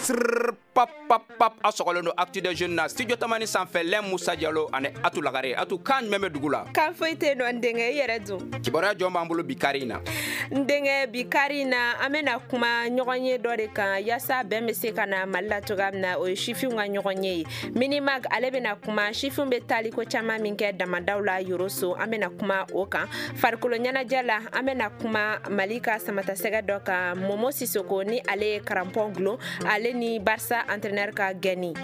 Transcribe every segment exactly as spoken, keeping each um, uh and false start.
Pap pap pap, aw sɔgɔlen don Actu des Jeunes na studio Tamani sanfɛ, lɛn Musa Jalo ani Atu Lagare. Atu, kan jumɛn bɛ dugu la? Kan foyi tɛ nɔ, n denkɛ. I yɛrɛ dun? Kibaruya jɔn b'an bolo bi kari in na? N denkɛ, bi kari in na, an bɛna kuma ɲɔgɔn ye dɔ de kan yaasa bɛn bɛ se ka na Mali la cogoya min na. O ye sifinw ka ɲɔgɔn ye ye Minimag. Ale bɛna kuma sifinw bɛ taali ko caman min kɛ damadaw la Yoroso, an bɛna kuma o kan. Farikolo ɲɛnajɛ la, an bɛna kuma Mali ka samatasɛgɛ dɔ kan, Momo Sisoko, ni ale ye crampon gulon, ale ni Barça entraîneur ka gɛnni.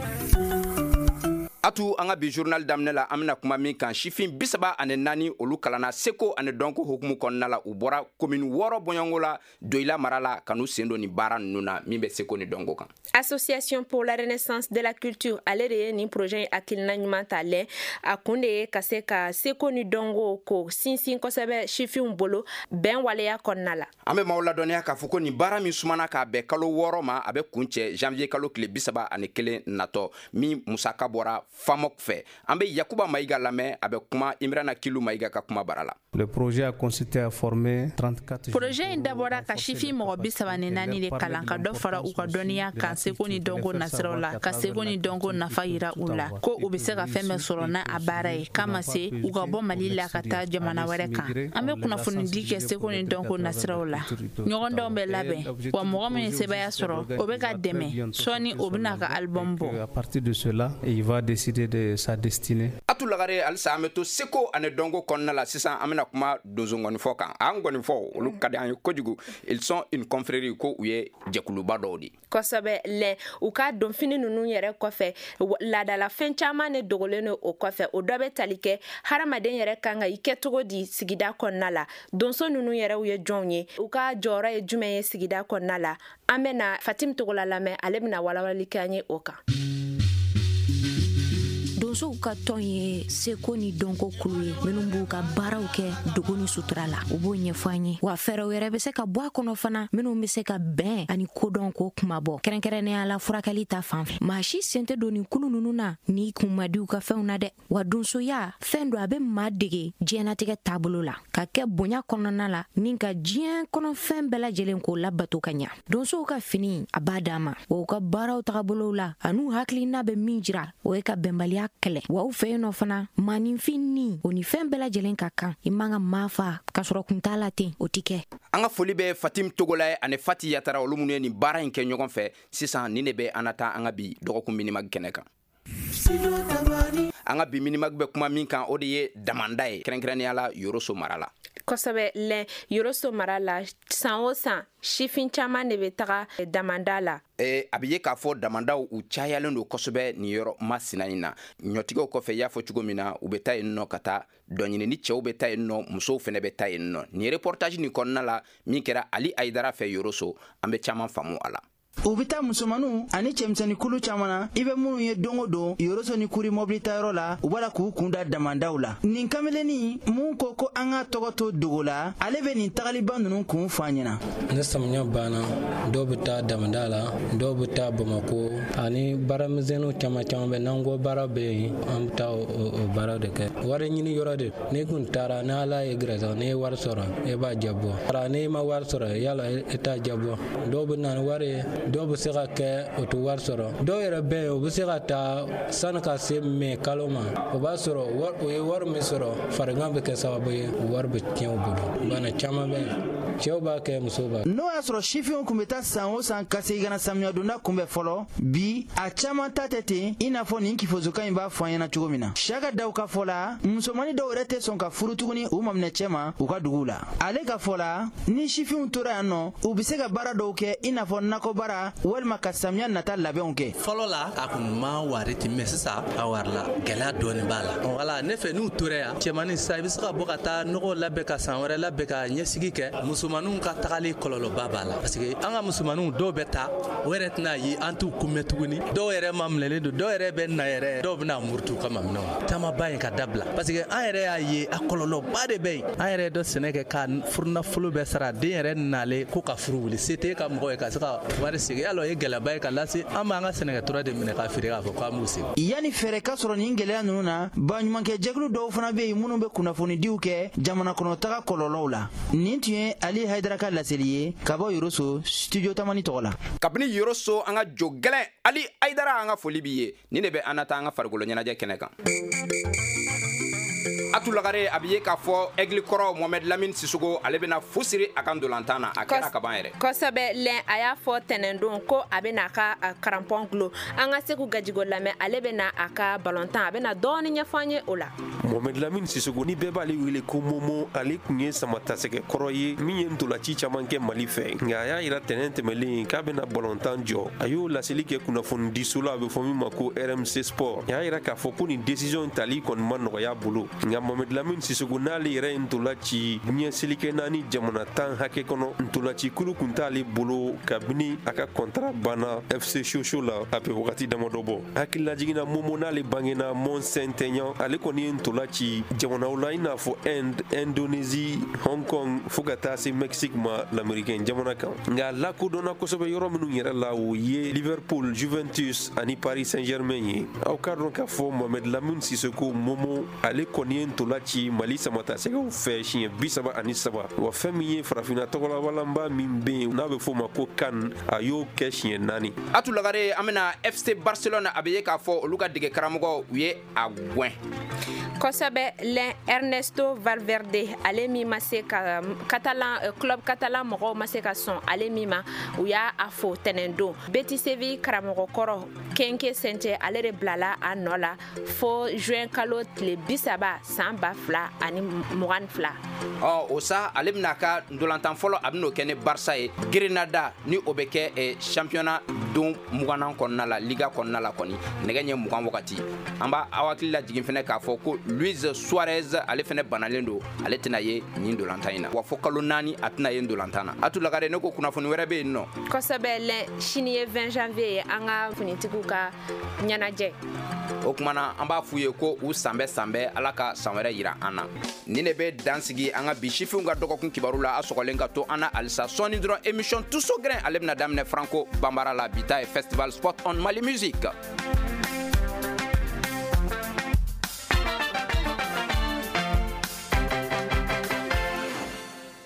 Atu, an ka bi journal daminɛ la, an bɛna kuma min kan, sifin bisaba ani naani, olu kalanna seko ani dɔnko hukumu kɔnɔna la. U bɔra komini wɔɔrɔ bɔɲɔgɔnko la Doyila mara la ka n'u sen don nin baara ninnu na min bɛ seko ni dɔnko kan. Association pour la Renaissance de la Culture, ale de ye nin projet in hakilina ɲuman ta lɛ. A kun de ye ka se ka seko ni dɔnko ko sinsin kosɛbɛ sifinw bolo bɛn waleya kɔnɔna la. An bɛ maaw ladɔnniya k'a fɔ ko nin baara min sumana k'a bɛn kalo wɔɔrɔ ma, a bɛ kun cɛ janvier kalo tile bisaba ani kelen natɔ, min musaka bɔra FAMOC fɛ. An bɛ Yakuba Mayiga lamɛn, a bɛ kuma Imrana Kilu Mayiga ka kuma bara la. Le projet a consisté à former trente-quatre Projet in dabɔra ka sifin mɔgɔ bi saba ni naani de kalan, ka dɔ fara u ka dɔnniya kan seko ni dɔnko nasiraw la, ka seko ni dɔnko nafa yira u la, ko u bɛ se ka fɛn bɛɛ sɔrɔ n'a a baara ye, k'a ma se u ka bɔ Mali la ka taa jamana wɛrɛ kan. An bɛ kunnafonidi kɛ seko ni dɔnko nasiraw la, ɲɔgɔndanw bɛ labɛn, wa mɔgɔ min ye sebaaya sɔrɔ, o bɛ ka dɛmɛ. Sɔɔni o bɛna ka album bɔ. À partir de cela, il va décider de sa destinée. Atu Lagare, halisa an bɛ to seko ani dɔnko kɔnɔna la. Sisan an bɛna kuma donso ngɔnifɔ kan. An ngɔnifɔ, olu ka di an ye kojugu. Ils sont une confrérie, ko u ye jɛkuluba dɔw de. Kosɛbɛ lɛ. U ka donfini ninnu yɛrɛ kɔfɛ, laadalafɛn caman de dogolen don o kɔfɛ. O dɔ bɛ tali kɛ hadamaden yɛrɛ kan ka i kɛ cogo di sigida kɔnɔna la. Donso ninnu yɛrɛw ye jɔnw ye? U ka jɔyɔrɔ ye jumɛn ye sigida kɔnɔna la? An bɛna Fatim Togola lamɛn, ale bɛna walawalali kɛ an ye o kan. Donsow ka tɔn ye seko ni dɔnko kulu ye minnu b'u ka baaraw kɛ dogo ni sutura la. U b'o ɲɛfɔ an ye, wa fɛɛrɛw yɛrɛ bɛ se ka bɔ a kɔnɔ fana minnu bɛ se ka bɛn ani kodɔn k'o kuma bɔ, kɛrɛnkɛrɛnnenya la furakɛli ta fan fɛ. Maa si sen tɛ don nin kulu ninnu na n'i kun ma di u ka fɛnw na dɛ. Wa donsoya fɛn don, a bɛ maa dege diɲɛnatigɛ taabolo la, ka kɛ bonya kɔnɔna la, ni ka diɲɛ kɔnɔfɛn bɛɛ lajɛlen k'o labato ka ɲa. Donsow ka fini a b'a d'an ma, wa u ka baaraw tagabolow la an'u hakilina bɛ min jira, o ye ka bɛnbaliya kɛlɛ. Wa u fɛ yen nɔ fana, maaninfin ni o ni fɛn bɛɛ lajɛlen ka kan. I man ka maa fa k'a sɔrɔ kun t'a la ten, o ti kɛ. An ka foli bɛ Fatim Togola ye ani Fati Yatara, olu minnu ye nin baara in kɛ ɲɔgɔn fɛ. Sisan nin de bɛ an na taa an ka bi dɔgɔkun Minimag kɛnɛ kan. An ka bi Minimag bɛ kuma min kan, o de ye damanda ye, kɛrɛnkɛrɛnnenya la Yoroso mara la. Kosɛbɛ lɛ. Yoroso mara la, san o san, sifin caman de bɛ taga damanda la. E, a bɛ ye k'a fɔ damandaw u cayalen don kosɛbɛ nin yɔrɔ masina in na. Ɲɔtigɛw kɔfɛ, i y'a fɔ cogo min na, u bɛ taa yen nɔ ka taa dɔ ɲini. Ni cɛw bɛ taa yen nɔ, musow fɛnɛ bɛ taa yen nɔ. Nin reportage nin kɔnɔna la min kɛra Ali Ayidara fɛ Yoroso, an bɛ caman faamu a la. U bɛ taa musomaninw ani cɛmisɛnnin kulu caman na, i bɛ minnu ye don o don Yoroso ni Kuri mobili tayɔrɔ la, u b'a la k'u kun da damandaw la. Nin kamelennin mun ko ko an ka tɔgɔ to dogo la, ale bɛ nin tagaliba ninnu kun fɔ an ɲɛna. Ni samiya banna, dɔw bɛ taa damanda la, dɔw bɛ taa Bamako, ani baaramisɛnninw caman caman bɛ n'an ko baara bɛ yen, an bɛ taa o baara de kɛ. Wari ɲini yɔrɔ de, n'i kun taara, ni Ala ye gɛrɛsɛgɛ, n'i ye wari sɔrɔ, e b'a jabɔ. N'i ma wari sɔrɔ, yala e t'a jabɔ. Dɔw bɛ na ni wari ye, dɔw bɛ se ka kɛ o tɛ wari sɔrɔ. Dɔw yɛrɛ bɛ yen, u bɛ se ka taa sani ka se mɛ kalo ma, o b'a sɔrɔ u ye wari min sɔrɔ, farigan bɛ kɛ sababu ye wari bɛ tiɲɛ u bolo. Bana caman bɛ yen, cɛw b'a kɛ, musow b'a kɛ. N'o y'a sɔrɔ sifinw tun bɛ taa san o san ka segin ka na samiyɛdonda kunbɛn fɔlɔ, bi a caman ta tɛ ten, i n'a fɔ nin kifosokan in b'a fɔ an ɲɛna cogo min na. Siyaka Daw ka fɔ la, musomanin dɔw yɛrɛ tɛ sɔn ka furu tuguni u maminɛ cɛ ma u ka duguw la. Ale ka fɔ la, ni sifinw tora yan nɔ, u bɛ se ka baara dɔw kɛ, i n'a fɔ nakɔ baara walima ka samiya nata labɛnw kɛ. Fɔlɔ la, a kun ma wari ten, mɛ sisan a wari la gɛlɛya dɔɔni b'a la. Wala ne fɛ, n'u tora yan, cɛmanin sisan i bɛ se ka bɔ ka taa nɔgɔ labɛn, ka san wɛrɛ labɛn, ka ɲɛsigi kɛ. Musomaninw ka tagali kɔlɔlɔba b'a la, parce que an ka musomaninw dɔw bɛ taa, o yɛrɛ tɛna ye, an t'u kunbɛn tuguni. Dɔw yɛrɛ ma minɛlen don, dɔw yɛrɛ bɛ na yɛrɛ, dɔw bɛna murutu ka maminɛw taamaba in ka dabila, parce que an yɛrɛ y'a ye a kɔlɔlɔba de bɛ yen. An yɛrɛ dɔ sɛnɛ kɛ ka furunafolo bɛɛ sara, den yɛrɛ nalen ko ka furu wuli, se t'e ka mɔgɔ ye ka se ka wari segin. Yala o ye gɛlɛyaba ye ka lase an b'an ka sɛnɛkɛtura de minɛ ka feere k'a fɔ k'an b'u segin. Yanni fɛɛrɛ ka sɔrɔ nin gɛlɛya ninnu na, baɲumankɛ jɛkulu dɔw fana bɛ yen minnu bɛ kunnafonidiw kɛ jamana kɔnɔtaga kɔlɔlɔw la. Nin tun ye Ali Ali Haidara ka laseli ye ka bɔ Yoroso, Studio Tamani tɔgɔ la. Kabini Yoroso, an ka jo gɛlɛn Ali Haidara, an ka foli b'i ye. Ni de bɛ an na taa an ka farikolo ɲɛnajɛ kɛnɛ kan. Atu Lagare, a bɛ ye k'a fɔ Aigle kɔrɔ Mohamed Lamine Sissoko, ale bɛna fu siri a ka ndolantan na. A kɛra kaban yɛrɛ. Kosɛbɛ lɛn, a y'a fɔ tɛnɛndon ko a bɛna a ka crampon gulo. An ka Segu Gajigo lamɛn, ale bɛna a ka balontan, a bɛna dɔɔni ɲɛfɔ an ye o la. Mohamed Lamine Sissoko, ni bɛɛ b'ale wele ko Momo, ale tun ye samatasɛgɛ kɔrɔ ye min ye ntolaci caman kɛ Mali fɛ. Nka a y'a yira tɛnɛn tɛmɛlen k'a bɛna balontan jɔ. A y'o laseli kɛ kunnafonidiso la, a bɛ fɔ min ma ko R M C Sport. A y'a yira k'a fɔ ko nin décision tali kɔni ma nɔgɔya bolo. Nka Mohamed Lamine Sissoko, n'ale yɛrɛ ye ntola ci diɲɛ selikɛ naani jamana tan hakɛ kɔnɔ, ntolaci kulu kun t'ale bolo kabini a ka contrat banna F C Sochaux la, a bɛ wagati damadɔ bɔ. Hakililajiginna, Momo, n'ale bangena Mont Saint-Aignan, ale kɔni ye ntola ci jamanaw la i n'a fɔ Inde, Indonésie, Hong Kong, fo ka taa se Mexique ma, l'américain jamana kan. Nka lakodɔnna kosɛbɛ yɔrɔ minnu yɛrɛ la, o ye Liverpool, Juventus ani Paris Saint-Germain ye. Aw k'a dɔn k'a fɔ Mohamed Lamine Sissoko Momo, ale kɔni ye ntola ci Mali samatasɛgɛw fɛ siɲɛ bi saba ani saba. Wa fɛn min ye farafinna tɔgɔlawalanba min bɛ yen n'a bɛ f'o ma ko CAN, a y'o kɛ siɲɛ naani. Atu Lagare, an bɛna F C Barcelone. A bɛ ye k'a fɔ olu ka dege karamɔgɔ, u ye a gwɛn. Kosɛbɛ lɛn, Ernesto Valverde, ale min ma se ka Catalan club, catalan mɔgɔw ma se ka sɔn ale min ma, u y'a a fo tɛnɛndon. Betis Séville karamɔgɔ kɔrɔ Quique Sánchez, ale de bilala a nɔ la fo juin kalo tile bi saba san ba fila ani mugan ni fila. Ɔ, o sa, ale bɛna ka ndolantan fɔlɔ, a bɛn'o kɛ ni Barça ye Grenada, ni o bɛ kɛ eh, championnat don mugannan kɔnɔna la, Liga kɔnɔna la kɔni, nɛgɛ ɲɛ mugan wagati. An b'a aw hakili lajigin fɛnɛ k'a fɔ ko Luis Suarez, ale fɛnɛ banalen don, ale tɛna ye nin ndolantan in na wa, fo kalo naani a tɛna ye ndolantan na. Atu Lagare, ne ko kunnafoni wɛrɛ bɛ yen nɔ? Kosɛbɛ lɛn, sini ye vingt janvier ye, an ka finitigiw ka ɲɛnajɛ. O kuma na, an b'a f'u ye ko u sanbɛ sanbɛ, Ala ka san wɛrɛ yira an na. Ni ne bɛ dan sigi an ka bi sifinw ka dɔgɔkun kibaru la. A sɔgɔlen ka to an na halisa. Sɔɔni dɔrɔn, émission Tuso Grin, ale bɛna daminɛ Franco Banbara la. Bi ta ye Festival Spot on Mali Musique.